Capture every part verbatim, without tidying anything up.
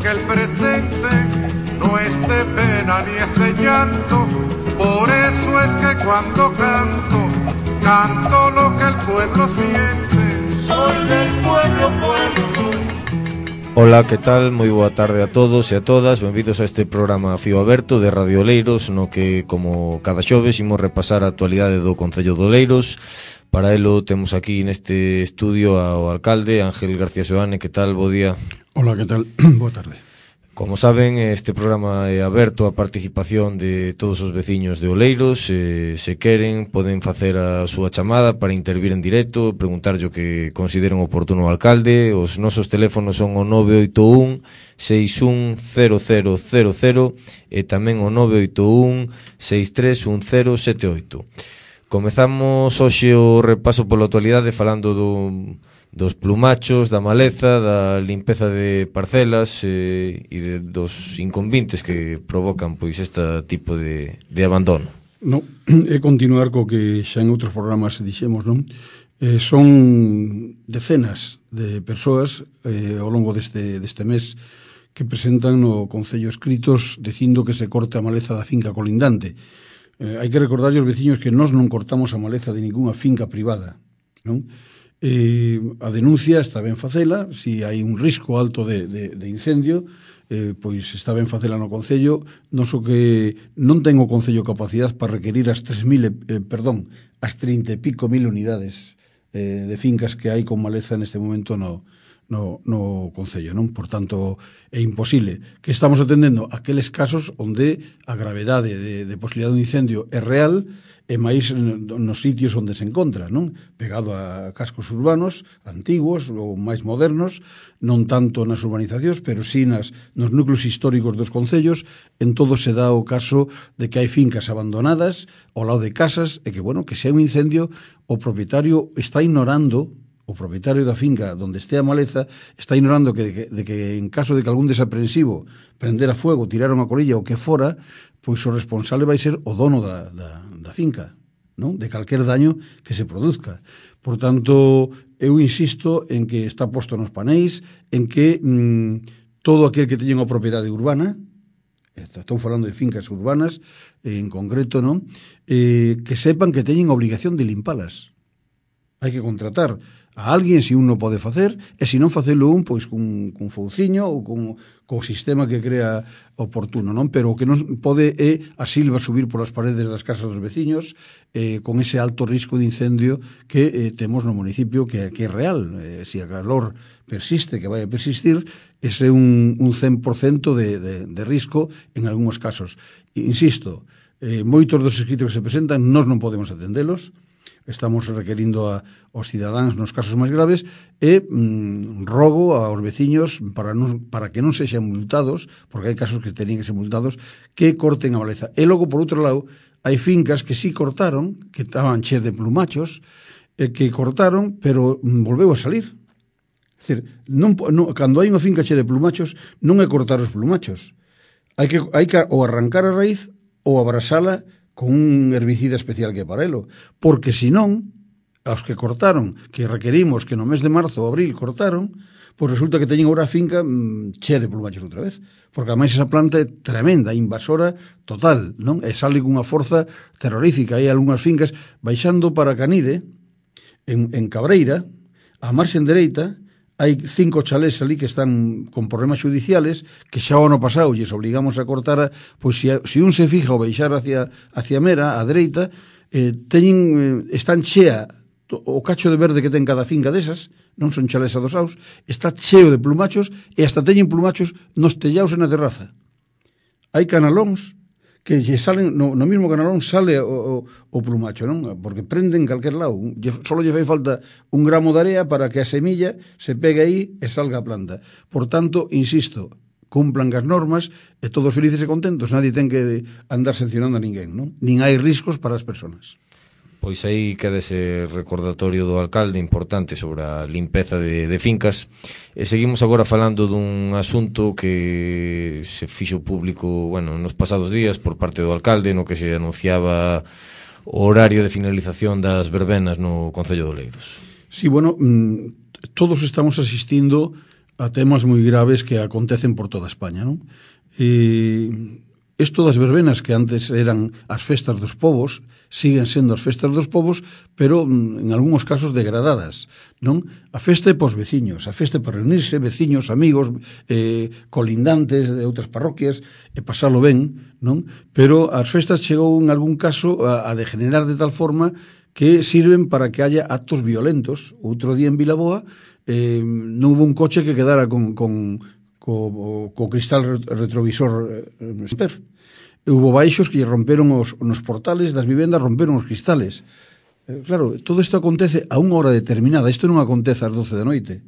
que el presente no es de pena ni es de llanto. Por eso es que cuando canto, canto lo que el pueblo siente. Soy del pueblo, pueblo soy. Ola, que tal? Moi boa tarde a todos e a todas. Benvidos a este programa Fío Aberto de Radio Oleiros, no que, como cada xoves, imos repasar a actualidade do Concello de Oleiros. Para elo temos aquí neste estudio ao alcalde Ángel García Soane. Que tal? Bo día. Ola, que tal? Boa tarde. Como saben, este programa é aberto á participación de todos os veciños de Oleiros. eh, Se queren, poden facer a súa chamada para intervir en directo, preguntarlle o que consideren oportuno ao alcalde. Os nosos teléfonos son o nove oito un seis un cero cero cero cero e tamén o nove oito un seis tres un cero sete oito. Comezamos hoxe o repaso pola actualidade falando do... dos plumachos, da maleza, da limpeza de parcelas eh, e de, dos inconvintes que provocan pois este tipo de, de abandono. No, é continuar co que xa en outros programas dixemos, non? Eh, son decenas de persoas eh, ao longo deste, deste mes que presentan no Concello escritos dicindo que se corte a maleza da finca colindante. Eh, hai que recordarlle aos veciños que nós non cortamos a maleza de ningunha finca privada, non? Eh, a denuncia está ben facela, si hai un risco alto de, de, de incendio, eh, pois está ben facela no Concello. Non so que non ten o Concello capacidade para requerir as tres mil, eh, perdón, as trinta e pico mil unidades eh, de fincas que hai con maleza neste momento no, no, no Concello, non? Por tanto, é imposible. Que estamos atendendo aqueles casos onde a gravedade de, de posibilidade de incendio é real, e máis nos sitios onde se encontra, non? Pegado a cascos urbanos antigos ou máis modernos, non tanto nas urbanizacións, pero sí nas, nos núcleos históricos dos concellos. En todo se dá o caso de que hai fincas abandonadas ao lado de casas e que, bueno, que se hai un incendio, o propietario está ignorando, o propietario da finca donde este a maleza está ignorando que, de, que, de que en caso de que algún desaprensivo prendera fuego, tiraron a colilla ou que fora, pois o responsable vai ser o dono da, da, da finca, non? De calquer daño que se produzca. Por tanto, eu insisto en que está posto nos paneis, en que mmm, todo aquel que teña unha propiedade urbana, estamos falando de fincas urbanas en concreto, non? Eh, que sepan que teñen obligación de limpalas. Hai que contratar a alguén se un non pode facer, e se non facelo un, pois cun, cun fouciño ou cun, co sistema que crea oportuno, non? Pero o que non pode é a silva subir polas paredes das casas dos veciños eh, con ese alto risco de incendio que eh, temos no municipio, que, que é real. Eh, se a calor persiste, que vai a persistir, ese é un, un cen por cento de, de, de risco en algúns casos. Insisto, eh, moitos dos escritos que se presentan nós non podemos atendelos. Estamos requerindo a, aos cidadáns nos casos máis graves e mm, rogo aos veciños para, non, para que non sexan multados, porque hai casos que tenían que ser multados, que corten a maleza. E logo, por outro lado, hai fincas que sí cortaron, que estaban cheas de plumachos, e que cortaron, pero mm, volveu a salir. É dicir, non, non, cando hai unha finca chea de plumachos, non é cortar os plumachos. Hai que, hai que ou arrancar a raíz ou abrasala con un herbicida especial que para elo, porque senón, aos que cortaron, que requerimos que no mes de marzo ou abril cortaron, pois resulta que teñen agora a finca mmm, chea de plumachos outra vez, porque ademais esa planta é tremenda, invasora total, non? E sale cunha forza terrorífica. Hai algunhas fincas baixando para Canide, en, en Cabreira, a marxen dereita, hai cinco chalés ali que están con problemas judiciales, que xa o ano pasado lles obligamos a cortar, a, pois se, se un se fija o baixar hacia, hacia Mera, a dereita, eh, teñen, eh, están chea, o cacho de verde que ten cada finca desas, non son chalés adosados, está cheo de plumachos, e hasta teñen plumachos nos tellaos e na terraza. Hai canalóns que lle salen, no, no mismo canalón sale o, o, o plumacho, non? Porque prenden en calquer lado. Solo lle fai falta un gramo de area para que a semilla se pegue aí e salga a planta. Por tanto, insisto, cumplan as normas e todos felices e contentos. Nadie ten que andar sancionando a ninguén, non? Nin hai riscos para as persoas. Pois aí queda ese recordatorio do alcalde importante sobre a limpeza de, de fincas. E seguimos agora falando dun asunto que se fixo público, bueno, nos pasados días por parte do alcalde, no que se anunciaba o horario de finalización das verbenas no Concello de Oleiros. Sí, bueno, todos estamos asistindo a temas moi graves que acontecen por toda España, non? E isto das verbenas, que antes eran as festas dos povos, siguen sendo as festas dos povos, pero en algúns casos degradadas, non? A festa é pos veciños, a festa é para reunirse, veciños, amigos, eh, colindantes de outras parroquias, e pasalo ben, non? Pero as festas chegou en algún caso a, a degenerar de tal forma que sirven para que haya actos violentos. Outro día en Vilaboa eh, non hubo un coche que quedara con... con co, co cristal retrovisor eh, esper. E hubo baixos que romperon os, nos portales das vivendas, romperon os cristales. Eh, claro, todo isto acontece a unha hora determinada. Isto non acontece ás doce da noite,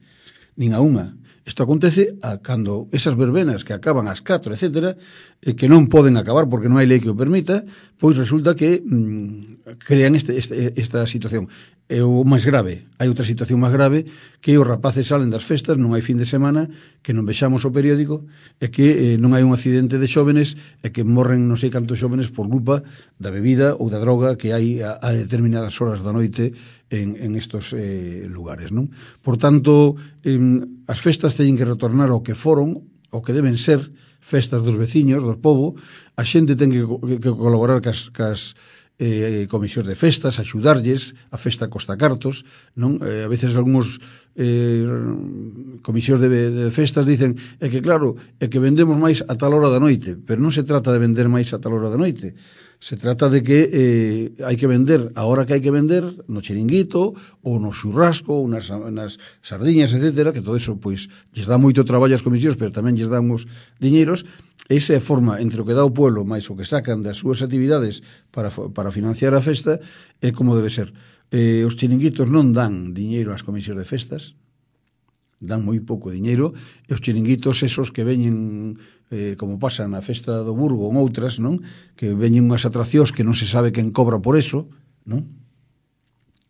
nin a unha. Isto acontece a cando esas verbenas que acaban ás catro, etcétera, eh, que non poden acabar porque non hai lei que o permita, pois resulta que mm, crean este, este, esta situación. É o máis grave. Hai outra situación máis grave, que os rapaces salen das festas, non hai fin de semana, que non vexamos o periódico, e que eh, non hai un accidente de xóvenes, e que morren non sei cantos xóvenes por culpa da bebida ou da droga que hai a, a determinadas horas da noite en, en estos eh, lugares, non? Por tanto, eh, as festas teñen que retornar ao que foron, ao que deben ser festas dos veciños, do povo. A xente ten que, que, que colaborar cas, cas eh, comisións de festas, axudarlles, a festa costa cartos, non? Eh, a veces algúns eh, comisións de, de festas dicen é que claro, é que vendemos máis a tal hora da noite, pero non se trata de vender máis a tal hora da noite, se trata de que eh, hai que vender a hora que hai que vender no chiringuito ou no xurrasco ou nas, nas sardiñas, etcétera, que todo eso pois lles dá moito traballo as comisións, pero tamén lles damos diñeiros. Esa é a forma entre o que dá o pueblo máis o que sacan das súas actividades para, para financiar a festa, é como debe ser. Eh, os chiringuitos non dan diñeiro ás comisións de festas, dan moi pouco diñeiro, e os chiringuitos esos que veñen, eh, como pasa na festa do Burgo ou outras, non? Que veñen unhas atraccións que non se sabe quen cobra por eso, non?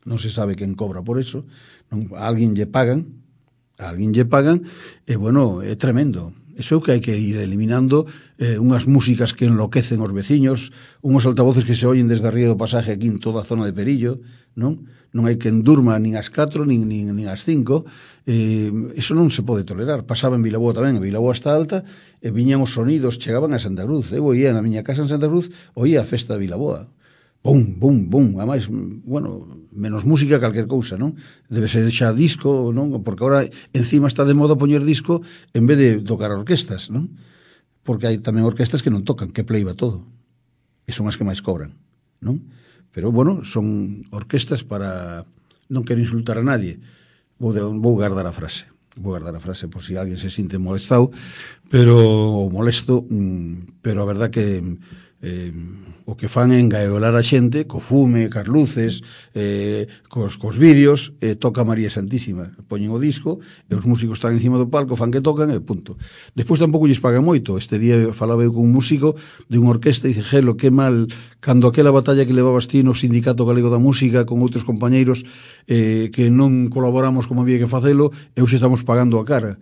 Non se sabe quen cobra por eso, non? A alguén lle pagan, a alguén lle pagan, e bueno, é tremendo. Eso é o que hai que ir eliminando, eh, unhas músicas que enloquecen os veciños, unhos altavoces que se oyen desde arriba do pasaje aquí en toda a zona de Perillo, non? Non hai quen durma nin ás catro, nin, nin, nin ás cinco, eh, eso non se pode tolerar. Pasaba en Vilaboa tamén, a Vilaboa está alta, e viñan os sonidos, chegaban a Santa Cruz. Eu oía na miña casa en Santa Cruz, oía a festa de Vilaboa. Bum, bum, bum, ademais, bueno, menos música calquer cousa, non? Debe ser xa disco, non? Porque agora encima está de moda poñer disco en vez de tocar orquestas, non? Porque hai tamén orquestas que non tocan, que pleiba todo. E son as que máis cobran, non? Pero, bueno, son orquestas para... Non quero insultar a nadie. Vou, de, vou guardar a frase. Vou guardar a frase por si alguén se sinte molestado, pero, ou molesto, pero a verdad que... Eh, o que fan é engaiolar a xente co fume, cas luces, eh, cos, cos vídeos, eh, toca María Santísima, poñen o disco e os músicos están encima do palco, fan que tocan e punto. Despois tampouco lles pagan moito. Este día falaba eu con un músico de unha orquesta e dice, Gelo, que mal, cando aquela batalla que levabas ti no Sindicato Galego da Música con outros compañeiros eh, que non colaboramos como había que facelo, e hoxe estamos pagando a cara.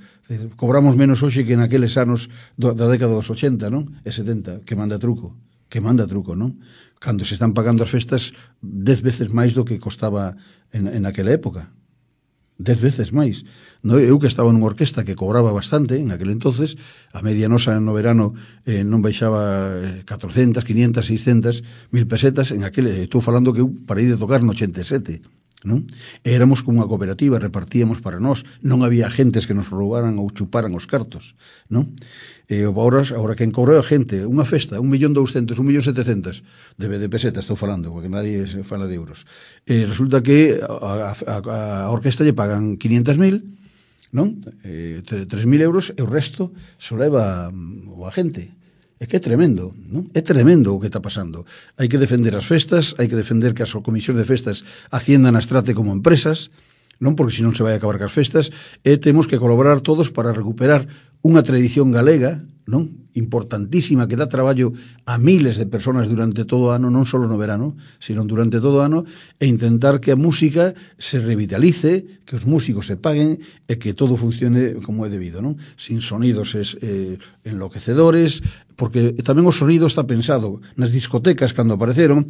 Cobramos menos hoxe que naqueles anos do, da década dos ochenta, non? E setenta, que manda truco. que manda truco, non? Cando se están pagando as festas dez veces máis do que costaba en, en aquela época. Dez veces máis. No, eu que estaba nunha orquesta que cobraba bastante en aquel entonces, a media nosa no verano eh, non baixaba catrocentas, quinientas, seiscentas, mil pesetas, en aquel, estou falando que eu parei de tocar no ochenta e sete, non? E éramos como unha cooperativa, repartíamos para nós, non había agentes que nos roubaran ou chuparan os cartos, non? E agora, agora quen cobra a xente, unha festa, un millón douscentos, un millón setecentos de, de pesetas, estou falando, porque nadie se fala de euros. E resulta que a, a, a orquesta lle pagan quinientos mil, non? E, tres mil euros, e o resto se leva o agente. É que é tremendo, non? É tremendo o que está pasando. Hai que defender as festas, hai que defender que as comisións de festas a Hacienda nas trate como empresas, non? Porque senón se vai acabar cas festas, e temos que colaborar todos para recuperar unha tradición galega, non? Importantísima, que dá traballo a miles de personas durante todo o ano, non só no verano, sino durante todo o ano, e intentar que a música se revitalice, que os músicos se paguen e que todo funcione como é debido, non? Sin sonidos es, eh, enloquecedores, porque tamén o sonido está pensado nas discotecas cando apareceron,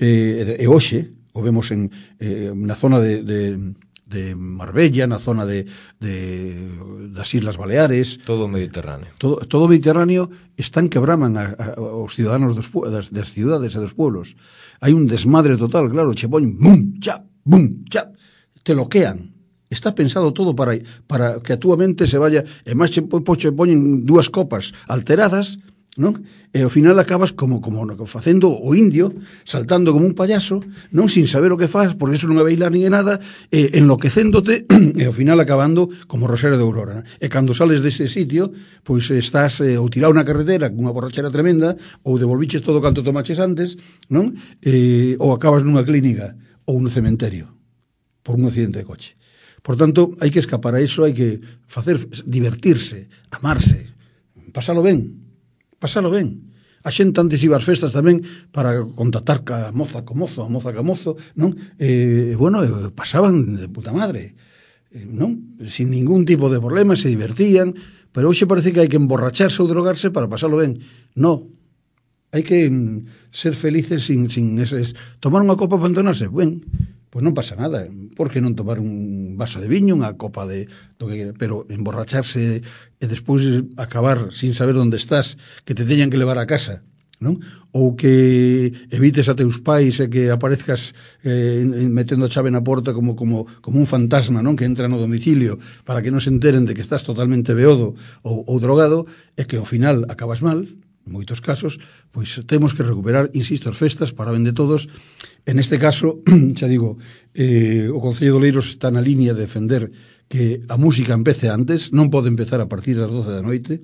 eh, e hoxe, o vemos en, eh, na zona de... de de Marbella, na zona de, de das Islas Baleares. Todo o Mediterráneo. Todo, todo o Mediterráneo están que braman a, a, aos ciudadanos dos, das, das cidades e dos pueblos. Hai un desmadre total, claro, che poñen bum, chap, bum, chap, te loquean. Está pensado todo para, para que a túa mente se vaya, e máis che, po, che poñen dúas copas alteradas, non? E ao final acabas como como facendo o indio, saltando como un payaso, non, sin saber o que faz, porque eso non é bailar nin é nada, e enloquecéndote, e ao final acabando como Rosario de Aurora, non? E cando sales dese sitio, pois estás eh, ou tirado na carretera cunha borrachera tremenda, ou devolviches todo canto tomaches antes, non? E, ou acabas nunha clínica ou no cementerio por un accidente de coche. Por tanto, hai que escapar a iso, hai que facer divertirse, amarse, pasalo ben. Pasalo ben. A xente antes iba ás festas tamén para contactar ca moza co mozo, a moza ca mozo, non? E, bueno, pasaban de puta madre, non? Sin ningún tipo de problema, se divertían, pero hoxe parece que hai que emborracharse ou drogarse para pasalo ben. No. Hai que ser felices sin, sin eses... Tomar unha copa para entonarse, ben, pois non pasa nada. Por que non tomar un vaso de viño, unha copa de do que quera, pero emborracharse e despois acabar sin saber onde estás, que te teñan que levar a casa, non? Ou que evites a teus pais e que aparezcas eh, metendo a chave na porta como, como, como un fantasma, non? Que entra no domicilio para que non se enteren de que estás totalmente beodo ou, ou drogado, e que ao final acabas mal, en moitos casos, pois temos que recuperar, insisto, as festas para ben de todos. En este caso, xa digo, eh, o Concello de Oleiros está na línea de defender que a música empece antes, non pode empezar a partir das doce da noite.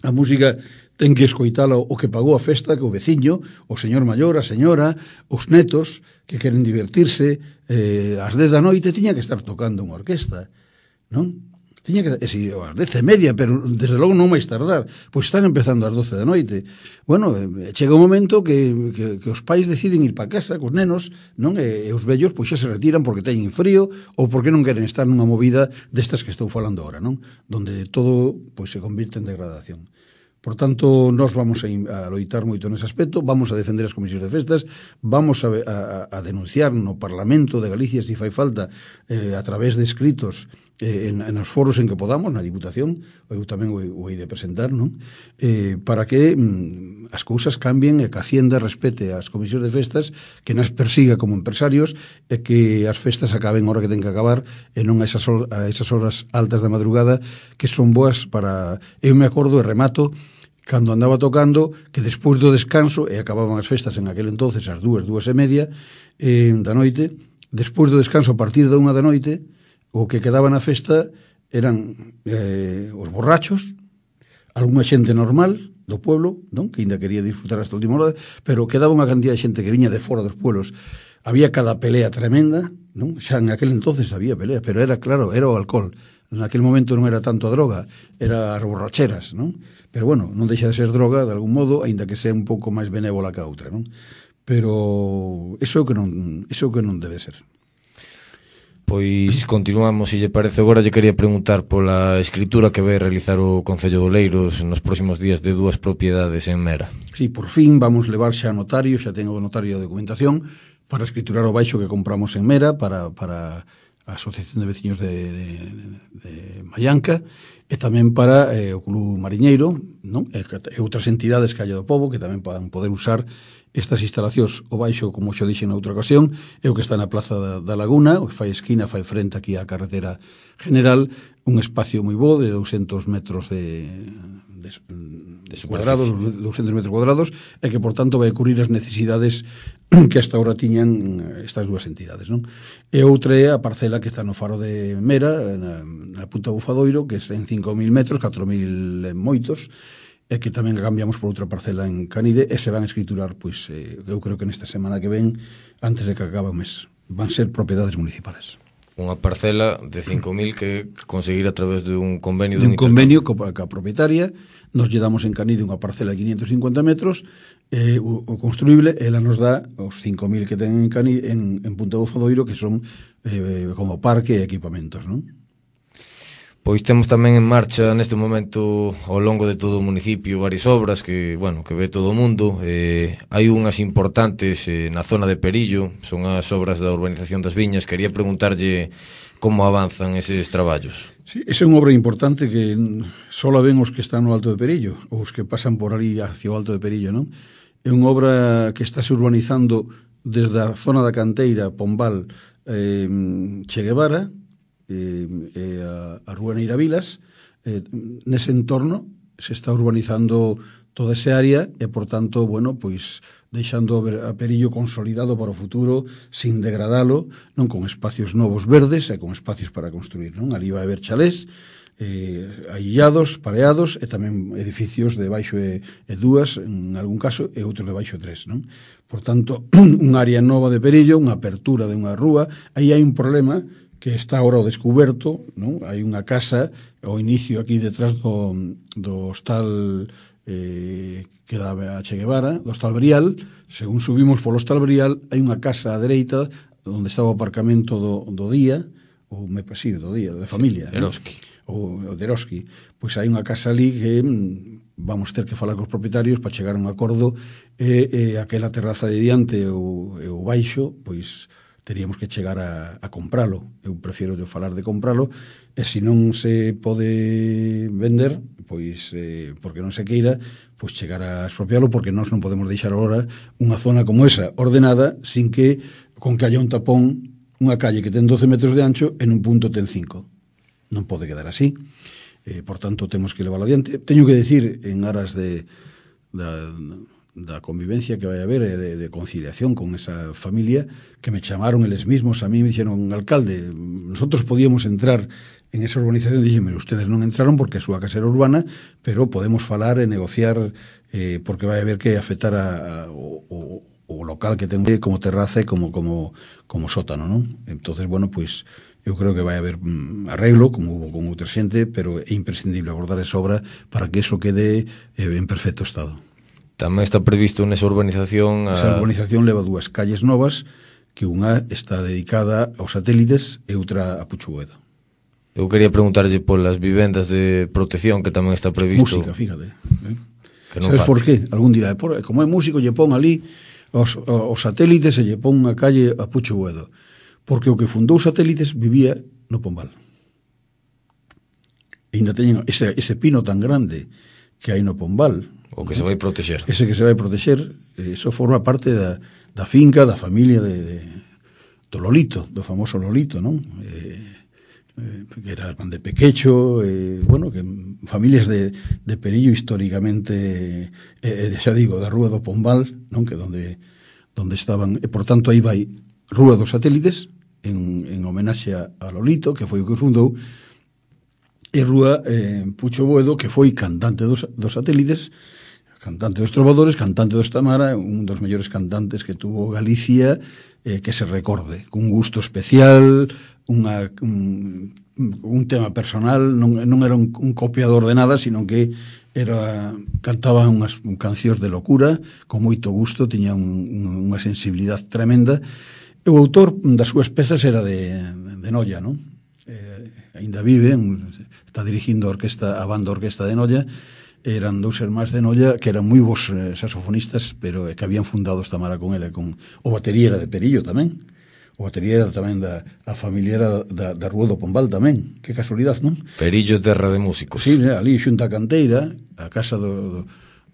A música ten que escoitala o que pagou a festa, que o veciño, o señor maior, a señora, os netos que queren divertirse, eh, ás dez da noite tiña que estar tocando unha orquesta, non? Tiña que, e si, ás dez e media, pero desde logo non máis tardar, pois están empezando ás doce da noite. Bueno, chega un momento que, que, que os pais deciden ir para casa cos nenos, non? E, e os vellos pois xa se retiran porque teñen frío ou porque non queren estar nunha movida destas que estou falando ahora, non? Donde todo pois se convirte en degradación. Por tanto, nós vamos a, a loitar moito nese aspecto, vamos a defender as comisións de festas, vamos a, a, a denunciar no Parlamento de Galicia, se fai falta, eh, a través de escritos, eh, en, en os foros en que podamos, na Diputación, eu tamén o, o hei de presentar, non? Eh, para que mm, as cousas cambien e que a Hacienda respete as comisións de festas, que nas persiga como empresarios e que as festas acaben a hora que ten que acabar e non a esas, a esas horas altas da madrugada que son boas para... Eu me acordo e remato cando andaba tocando, que despois do descanso, e acababan as festas en aquel entonces ás dúas, dúas e media eh, da noite, despois do descanso a partir da unha da noite, o que quedaba na festa eran eh, os borrachos, algunha xente normal do pueblo, non? Que ainda quería disfrutar hasta a última hora, pero quedaba unha cantidad de xente que viña de fora dos pueblos. Había cada pelea tremenda, non? Xa en aquel entonces había peleas, pero era, claro, era o alcohol. En aquel momento non era tanto a droga, era as borracheras, non? Pero bueno, non deixa de ser droga, de algún modo, aínda que sea un pouco máis benévola que a outra, non? Pero iso é o que non, iso é o que non debe ser. Pois continuamos, se lle parece. Agora lle quería preguntar pola escritura que vai realizar o Concello de Oleiros nos próximos días de dúas propiedades en Mera. Sí, por fin vamos levar xa a notario, xa tengo o notario de documentación para escriturar o baixo que compramos en Mera para... para a Asociación de Veciños de, de, de Mallanca e tamén para eh, o Club Mariñeiro, non? E, e outras entidades que haya do pobo que tamén podan poder usar estas instalacións. O baixo, como xo dixen na outra ocasión, é o que está na Plaza da, da Laguna, o que fai esquina, fai frente aquí á carretera general, un espacio moi bo de douscentos metros de, de, de cuadrados, douscentos metros cuadrados, e que, por tanto, vai cubrir as necesidades que hasta ahora tiñan estas dúas entidades, non? E outra é a parcela que está no faro de Mera, na, na Punta Bufadoiro, que é en cinco mil metros, catro mil moitos, e que tamén cambiamos por outra parcela en Canide, e se van a escriturar, pois, eh, eu creo que nesta semana que ven, antes de que acabe o mes, van ser propiedades municipales. Unha parcela de cinco mil que conseguir a través de un convenio de un convenio coa a propietaria. Nos lle damos en Canide unha parcela de quinientos cincuenta metros, eh, o, o construible, ela nos dá os cinco mil que ten en, Canide, en, en Punta Bufadoiro, que son eh, como parque e equipamentos, non? Pois temos tamén en marcha neste momento ao longo de todo o municipio varias obras que, bueno, que ve todo o mundo. Eh, hai unhas importantes eh, na zona de Perillo, son as obras da urbanización das Viñas. Quería preguntarlle como avanzan eses traballos. Sí, esa é unha obra importante que só la ven os que están no Alto de Perillo, ou os que pasan por ali hacia o Alto de Perillo, non? É unha obra que está se urbanizando desde a zona da Canteira, Pombal, eh, Che Guevara, eh, eh, a, a Rúa Neiravilas. Eh, nese entorno se está urbanizando toda esa área e, por tanto, bueno, pois deixando a Perillo consolidado para o futuro sin degradalo, non, con espacios novos verdes e con espacios para construir, non? Ali vai haber chalés eh, aillados, pareados e tamén edificios de baixo e, e dúas en algún caso e outros de baixo e tres, non? Por tanto, unha área nova de Perillo, unha apertura de unha rúa. Aí hai un problema que está agora ao descuberto, non? Hai unha casa ao inicio aquí detrás do, do hostal eh, que dá a Che Guevara, do hostal Brial. Según subimos polo hostal Brial, hai unha casa á dereita onde está o aparcamento do, do día, ou me pasí, do día, da familia, sí, Eroski. O, o de Eroski. Pois hai unha casa ali que vamos ter que falar cos propietarios para chegar a un acordo e, e aquela terraza de diante e o, e o baixo, pois teríamos que chegar a, a compralo. Eu prefiero de falar de compralo, e se non se pode vender, pois eh, porque non se queira, pois chegar a expropialo, porque nós non podemos deixar agora unha zona como esa ordenada sin que, con que haya un tapón, unha calle que ten doce metros de ancho en un punto ten cinco. Non pode quedar así. Eh, por tanto, temos que levarlo adiante. Teño que decir, en aras de da, da convivencia que vai haber e de, de conciliación con esa familia, que me chamaron eles mismos, a mí me dixeron, alcalde, nosotros podíamos entrar en esa urbanización. Dixen, ustedes non entraron porque a súa casa era urbana, pero podemos falar e negociar eh, porque vai haber que afectar a, a, o, o, o local que ten como terraza e como, como, como sótano, non? Entonces, bueno, pois eu creo que vai haber mm, arreglo, como hubo con outra xente, pero é imprescindible abordar esa obra para que eso quede eh, en perfecto estado. Tamén está previsto nesa urbanización a... Esa urbanización leva dúas calles novas, que unha está dedicada aos satélites e outra a Puchuguedo. Eu quería preguntarlle polas vivendas de protección que tamén está previsto. Música, fíjate. Eh? Que non Sabes falte. por qué? Algún dirá, por, como é músico, lle pon ali os, os satélites e lle pon unha calle a Puchuguedo. Porque o que fundou satélites vivía no Pombal. E ainda teñen ese, ese pino tan grande que hai no Pombal. O que se vai protexer. Ese que se vai protexer, eso forma parte da, da finca, da familia de, de, do Lolito, do famoso Lolito, non? Eh, eh, que era de Pequecho, eh, bueno, que familias de, de Perillo históricamente, eh, xa digo, da Rúa do Pombal, non? Que donde, donde estaban, e por tanto aí vai Rúa dos Satélites, en, en homenaxe a, a Lolito, que foi o que fundou, e Rúa eh, Pucho Boedo, que foi cantante dos, dos Satélites, cantante dos Trovadores, cantante dos Tamara, un dos mellores cantantes que tuvo Galicia, eh, que se recorde, cun gusto especial, unha, un, un tema personal, non, non era un, un copiador de nada, sino que era cantaba unhas cancións de locura, con moito gusto, tiña un, un, unha sensibilidade tremenda, e o autor das súas pezas era de, de Noia, non? Eh, ainda vive, un, está dirigindo a orquesta, a banda orquesta de Noia. Eran dous irmáns de Noia que eran moi bons eh, saxofonistas, pero eh, que habían fundado esta mara con ele, con o batería era de Perillo tamén. O batería era tamén da a familia era da, da Rúa do Pombal tamén. Que casualidade, non? Perillo, terra de músicos. Sí, ali xunta a Canteira, a casa do, do,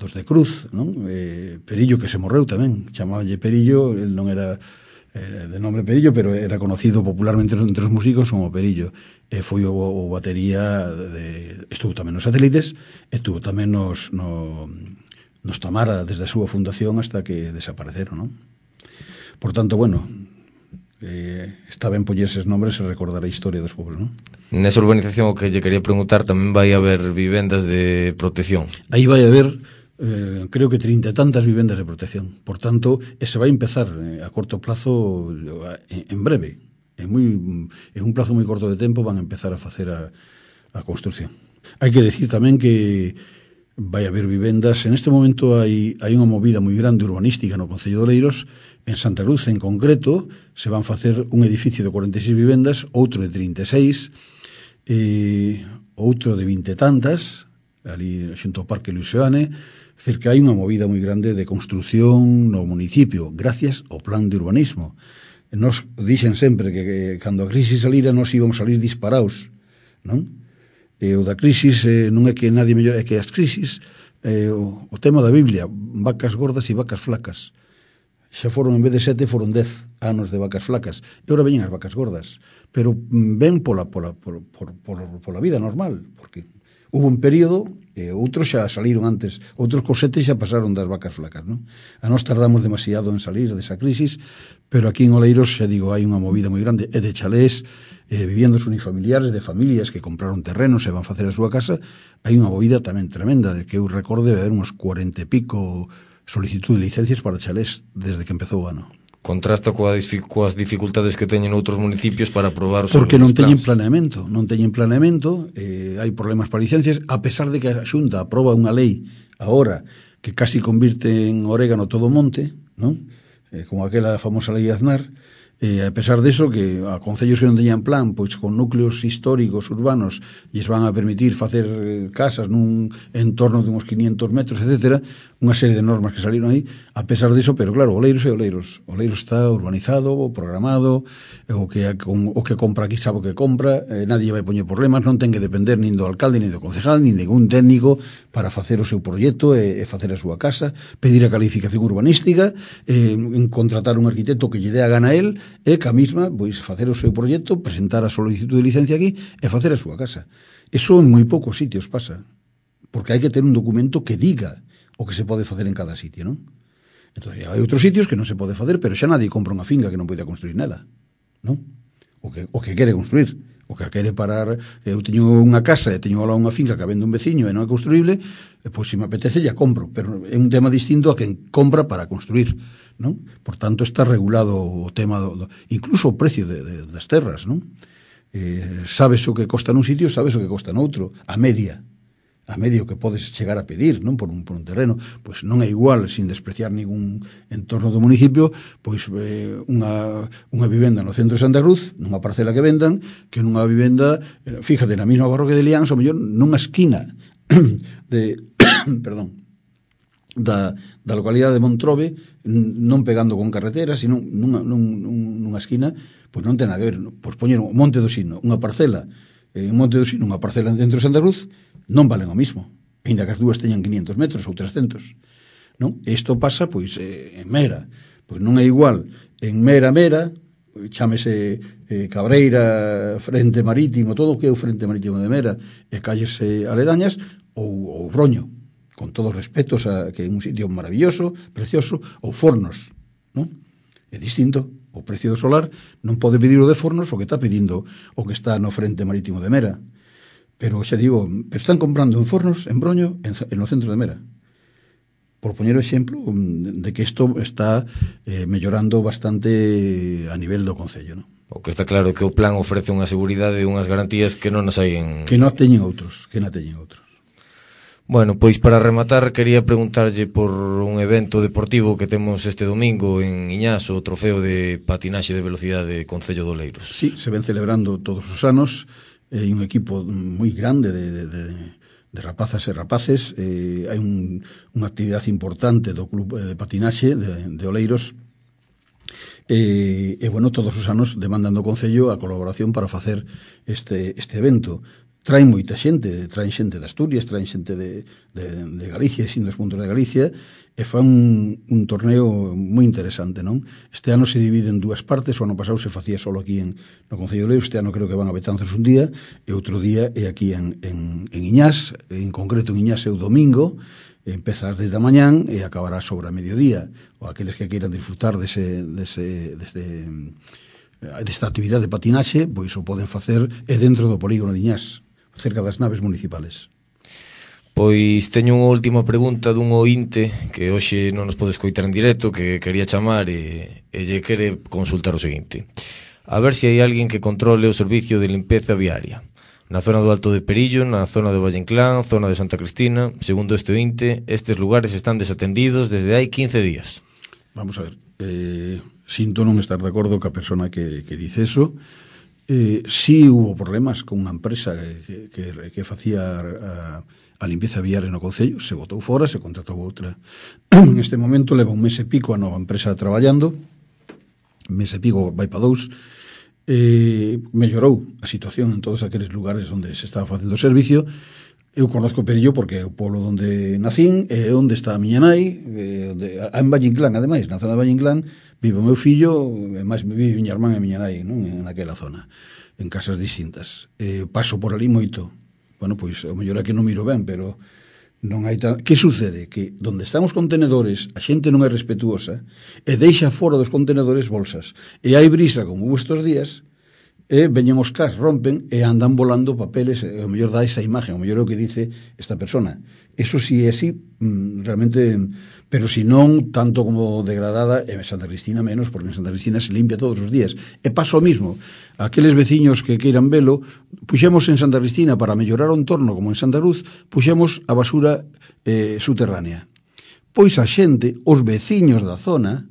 dos de Cruz, non? Eh, Perillo, que se morreu tamén, chamabanlle Perillo, el non era eh, de nombre Perillo, pero era conocido popularmente entre os músicos como Perillo. E foi o, o batería de, estuvo tamén nos Satélites, estuvo tamén nos, no, nos Tamara desde a súa fundación hasta que desapareceron, non? Por tanto, bueno, eh, está ben poñer eses nombres e recordar a historia dos pobres, non? Nesa urbanización o que lle quería preguntar, tamén vai haber vivendas de protección. Aí vai haber eh, creo que trinta e tantas vivendas de protección. Por tanto, e se vai empezar eh, a corto plazo en, en breve. En, muy, en un plazo moi corto de tempo van a empezar a facer a, a construcción. Hai que decir tamén que vai haber vivendas. En este momento hai, hai unha movida moi grande urbanística no Concello de Oleiros. En Santa Cruz, en concreto, se van facer un edificio de cuarenta e seis vivendas, outro de trinta e seis. Eh, outro de vinte tantas, ali xunto ao Parque Luis Seoane. É dicir, que hai unha movida moi grande de construción no municipio, gracias ao plan de urbanismo. Nos dixen sempre que, que cando a crisis salira nos íbamos salir disparados, non? E o da crisis eh, non é que nadie mellor, é que as crisis, eh, o, o tema da Biblia, vacas gordas e vacas flacas. Xa foron, en vez de sete, foron dez anos de vacas flacas. E ora veñen as vacas gordas. Pero ven pola, pola, por, por, por, pola vida normal, porque hubo un período, e outros xa saliron antes, outros cos sete xa pasaron das vacas flacas, non? A nós tardamos demasiado en salir desa crisis, pero aquí en Oleiros, xa digo, hai unha movida moi grande, e de chalés, eh, viviendas unifamiliares, de familias que compraron terrenos e van facer a súa casa, hai unha movida tamén tremenda, de que eu recorde haber uns cuarenta e pico solicitud de licencias para chalés desde que empezou o ano. Contrasta coa, coas dificultades que teñen outros municipios para aprobar os porque non teñen plans. planeamento, non teñen planeamento, eh, hai problemas para licencias, a pesar de que a Xunta aproba unha lei agora que casi convirte en orégano todo o monte, non? Eh, como aquela famosa lei Aznar, eh, a pesar de eso, que a concellos que non teñan plan, pois con núcleos históricos urbanos lles van a permitir facer casas nun entorno de uns quinientos metros, etcétera, unha serie de normas que saliron aí, a pesar de eso, pero claro, Oleiros é Oleiros. Oleiros está urbanizado, programado, o que, o que compra aquí sabe o que compra, eh, nadie vai poñer problemas, non ten que depender nin do alcalde, nin do concejal, nin de ningún técnico para facer o seu proxecto e, e facer a súa casa, pedir a calificación urbanística, eh, contratar un arquitecto que lle dé a gana a él, e que a mesma, pois, facer o seu proxecto, presentar a solicitud de licencia aquí e facer a súa casa. Eso en moi poucos sitios pasa, porque hai que ter un documento que diga o que se pode facer en cada sitio, non? Entón, hai outros sitios que non se pode facer, pero xa nadie compra unha finca que non pode construir nela, non? O que, o que quere construir, o que quere parar, eu teño unha casa e teño lá unha finca que vende un veciño e non é construible, pois se me apetece ya compro, pero é un tema distinto a quen compra para construir, non? Por tanto, está regulado o tema, do, do, incluso o precio de, de, das terras, non? Eh, sabes o que costa nun sitio, sabes o que costa noutro, a media, a medio que podes chegar a pedir, non, por un, por un terreno, pois non é igual, sin despreciar ningún entorno do municipio, pois eh, unha, unha vivenda no centro de Santa Cruz, nunha parcela que vendan, que nunha vivenda, fíjate, na mesma parroquia de Liáns, ou mellor, nunha esquina de, perdón, da, da localidade de Montrobe, non pegando con carretera, sino nunha, nun, nunha esquina, pois non ten nada que ver, pois poñer o Monte do Sino, unha parcela, en Monte do Sino, unha parcela dentro de Santa Cruz, non valen o mismo, ainda que as dúas teñan quinientos metros ou trescentos, non? Isto pasa, pois, eh, en Mera, pois non é igual en Mera, Mera, chámese eh, Cabreira, Frente Marítimo, todo o que é o Frente Marítimo de Mera, e calles eh, aledañas, ou, ou Broño, con todos os respetos a que é un sitio maravilloso, precioso, ou Fornos, non? É distinto, o precio do solar non pode pedir o de Fornos o que está pedindo o que está no Frente Marítimo de Mera. Pero xa digo, están comprando en Fornos, en Broño, en, en no centro de Mera. Por poñer o exemplo de que isto está eh, mellorando bastante a nivel do Concello, non? O que está claro é que o plan ofrece unha seguridade e unhas garantías que non as hai en... Que non teñen outros, que non teñen outros. Bueno, pois para rematar quería preguntarlle por un evento deportivo que temos este domingo en Iñás, o trofeo de patinaxe de velocidade Concello de Oleiros. Sí, se ven celebrando todos os anos, hai eh, un equipo moi grande de, de, de, de rapazas e rapaces, eh, hai un, unha actividade importante do club de patinaxe de, de Oleiros, e, e bueno, todos os anos demandan do Concello a colaboración para facer este, este evento. Traen moita xente, traen xente de Asturias, traen xente de, de, de Galicia, sin dos puntos de Galicia, e fan un, un torneo moi interesante, non? Este ano se divide en dúas partes, o ano pasado se facía solo aquí en, no Concello de Oleiros, este ano creo que van a Betanzos un día, e outro día é aquí en, en, en Iñás, en concreto en Iñás é o domingo, empeza ás dez da mañán e acabará sobre a mediodía, ou aqueles que queiran disfrutar dese... dese, dese desta actividade de patinaxe, pois o poden facer é dentro do polígono de Iñás, cerca das naves municipales. Pois teño unha última pregunta dun ointe que hoxe non nos pode escoitar en directo, que quería chamar e, e lle quere consultar o seguinte: a ver se hai alguén que controle o servicio de limpeza viaria na zona do Alto de Perillo, na zona de Valle Inclán, zona de Santa Cristina. Segundo este ointe, estes lugares están desatendidos desde hai quince días. Vamos a ver, eh, sinto non estar de acordo ca persona que, que dice eso. Eh, sí hubo problemas con unha empresa que, que, que facía a, a limpieza viaria no Concello, se botou fora, se contratou outra. En este momento leva un mes e pico a nova empresa traballando, mes e pico vai para dous, eh, mellorou a situación en todos aqueles lugares onde se estaba facendo o servicio. Eu conozco Perillo porque é o pueblo onde nacín, é onde está a miña nai, é onde, en Valle Inclán, ademais, na zona de Valle Inclán, vive o meu fillo, e máis vive miña irmán e miña nai, non? En aquela zona, en casas distintas. Eh, paso por ali moito. Bueno, pois, o mellor é que non miro ben, pero non hai tan... Que sucede? Que donde están os contenedores, a xente non é respetuosa e deixa fora dos contenedores bolsas. E hai brisa, como hubo estes días, e veñen os cas, rompen e andan volando papeles, e o mellor dá esa imagen, o mellor é o que dice esta persona. Eso si é así, realmente, pero si non, tanto como degradada, en Santa Cristina menos, porque en Santa Cristina se limpia todos os días. E pasa o mismo, aqueles veciños que queiran velo, puxemos en Santa Cristina, para mellorar o entorno, como en Santa Cruz, puxemos a basura eh, subterránea. Pois a xente, os veciños da zona,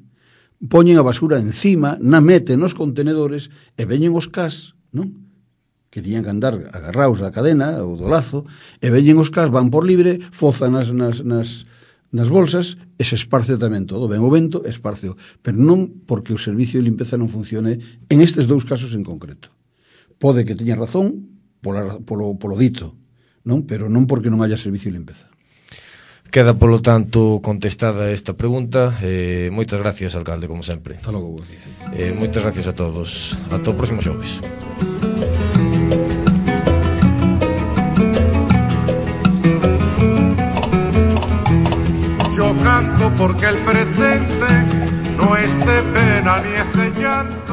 poñen a basura encima, na meten nos contenedores e veñen os cas, non? Que tiñan que andar agarraos da cadena ou do lazo, e veñen os cas, van por libre, fozan nas, nas, nas, nas bolsas e se esparce tamén todo. Ven o vento, esparceo. Pero non porque o servicio de limpeza non funcione en estes dous casos en concreto. Pode que teña razón pola, polo, polo dito, non? Pero non porque non haya servicio de limpeza. Queda, polo tanto, contestada esta pregunta. Eh, moitas gracias, alcalde, como sempre. Hasta logo, buen día. Eh, moitas gracias a todos. Ata o próximo xoves. Yo canto porque el presente no es de pena ni es de llanto.